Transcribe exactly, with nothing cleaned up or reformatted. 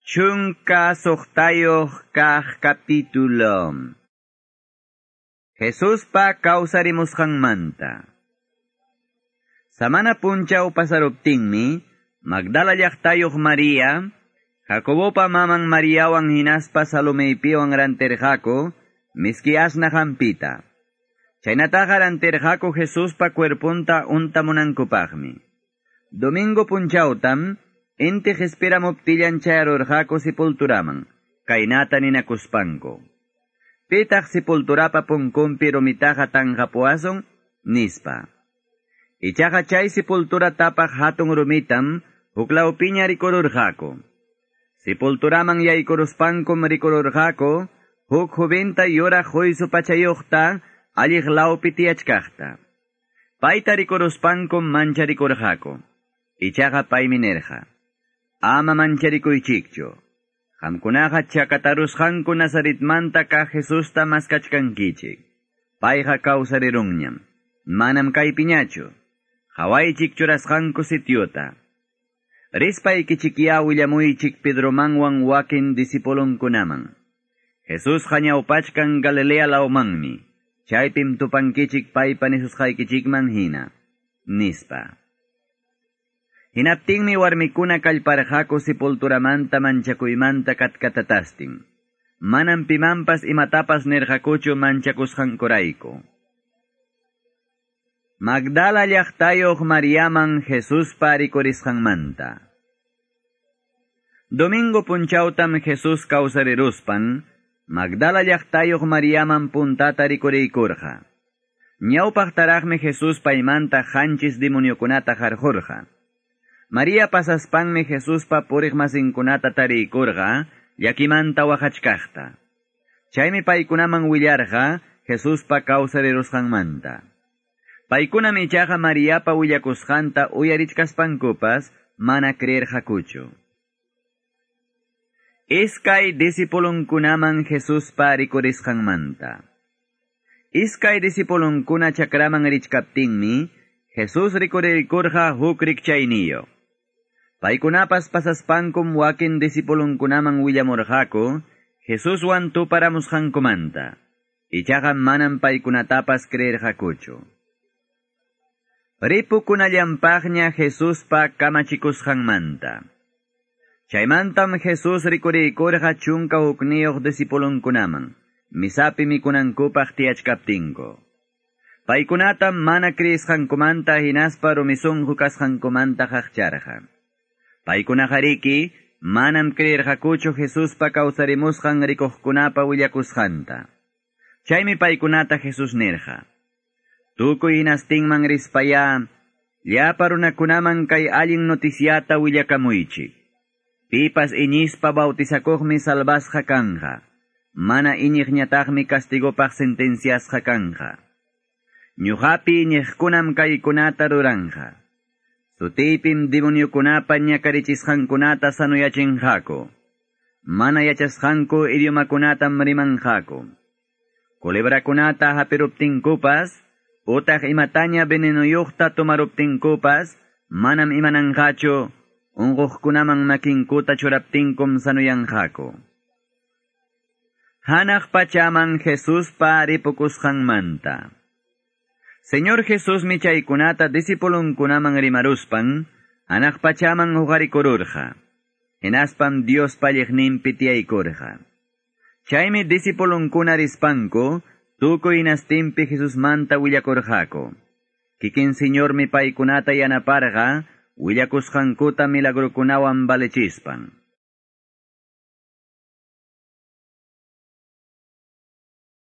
Chunka suqtayuq kaq capítulo. Jesuspa kawsarimusqanmanta. Samana punchaw pasaruptinmi, Magdala llaqtayuq María, Jacobopa maman Mariawan hinaspa Salomeypiwan rantirqaku, miski asnaq hampita. Chaynataqa rantirqaku Jesuspa cuerpunta untamunankupaqmi. Domingo punchawtam, inti qispiramuptillan chayarurqaku sepulturaman, kaynata ninakuspanku. Pitaq sepulturapa punkunpi rumitaqa tanqapuwasun, nispa. Ichaqa chay sepultura tapaq hatun rumitam huklawpiña rikururqaku. Sepulturaman yaykuruspankum rikururqaku, huk jovinta yuraq huysu pachayuqta alliq lawpi tiyachkaqta. Payta rikuruspankum mancharikurqaku. Ichaqa paymi nirqa: Ama mancharikuychikchu. Qamkunaqa chakatarusqanku Nazaretmanta kaq Jesusta maskachkankichik. Payqa kawsarirunñam. Manam kaypiñachu. Qawaychik churasqanku sitiota. Rispaykichikyá willamuychik Pedromanwan wakin discipulunkunaman. Jesusqa ñawpachkan Galilea lawmanmi. Chaypim tupankichik paypa nisusqaykichikman hina. Nispa. Hinaptinmi warmikuna kallparqaku sepulturamanta manchakuymanta katkatatastin. Manam pimanpas imatapas nirqakuchu manchakusqankurayku. Magdala llaqtayuq Mariaman Jesuspa rikurisqanmanta. Domingo punchawtam Jesús kawsariruspan, Magdala llaqtayuq Mariaman puntata rikuriykurqa. Ñawpaqtaraqmi Jesús paymanta qanchis demoniokunata qarqurqa. María pasaspanmi Jesuspa puriq masinkunata tariykurqa, llakimanta waqachkaqta. Chaymi paykunaman willarqa Jesuspa kawsarirusqanmanta. Paykunam ichaqa Mariapa willakusqanta uyarichkaspankupas mana creerqakuchu. Iskay discipulunkunaman Jesuspa rikurisqanmanta. Iskay discipulunkuna chakraman richkaptinmi, Jesús rikurirkurqa huk rikchayniyuq. Paykunapas pasaspankum wakin discipulunkunaman willamurqaku Jesuswan tuparamusqankumanta. Ichaqa manam paykunatapas creerqakuchu. Ripukunallanpaqña Jesuspa kamachikusqanmanta. Chaymantam Jesús rikuriykurqa chunka hukniyuq discipulunkunaman, misapi mikunankupaq tiyachkaptinku. Paykunatam mana creesqankumanta hinaspa rumi sunqu kasqankumanta qaqcharqa. Paykunaqariki manam creerqakuchu Jesuspa kawsarimusqan rikuqkunapa willakusqanta. Chaymi paykunata Jesús nirqa: Tukuy hinastinman rispayá, llapa runakunaman kay allin noticiata willakamuychik. Pipas iñispa bautizakuqmi salvasqa kanqa. Mana iñiqñataqmi castigopaq sentenciasqa kanqa. Ñuqapi iñiqkunam kaykunata ruranqa. Sutiypim demoniokunapa ñakarichisqankunata sanuyachinqaku. Mana yachasqanku idiomakunatam rimanqaku. Culebrakunata hapiruptinkupas, utaq imataña venenoyuqta tomaruptinkupas, manam imananqachu, unquqkunaman makinkuta churaptinkum sanuyanqaku. Hanaq pachaman Jesuspa ripukusqanmanta. Señor Jesusmi chaykunata discipulunkunaman rimaruspan, hanaq pachaman huqarikururqa. Hinaspam Diospa alliqninpi tiyaykurqa. Chaymi discipulunkuna rispanku, tukuy hinastinpi Jesusmanta willakurqaku. Kikin Señormi paykunata yanaparqa, willakusqankuta milagrukunawan valechispan.